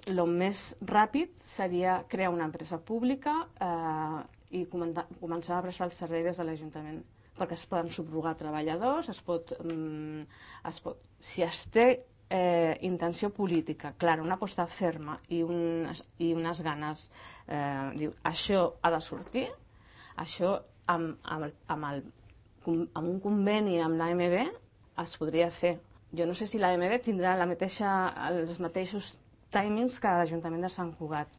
el més ràpid seria crear una empresa pública i començar a prestar el servei des de l'Ajuntament, perquè es poden subrogar treballadors, si es té intenció política clara, una aposta ferma i unes ganes, diu, això ha de sortir, això amb un conveni amb l'AMB es podria fer. Jo no sé si l'AMB tindrà els mateixos timings que l'Ajuntament de Sant Cugat.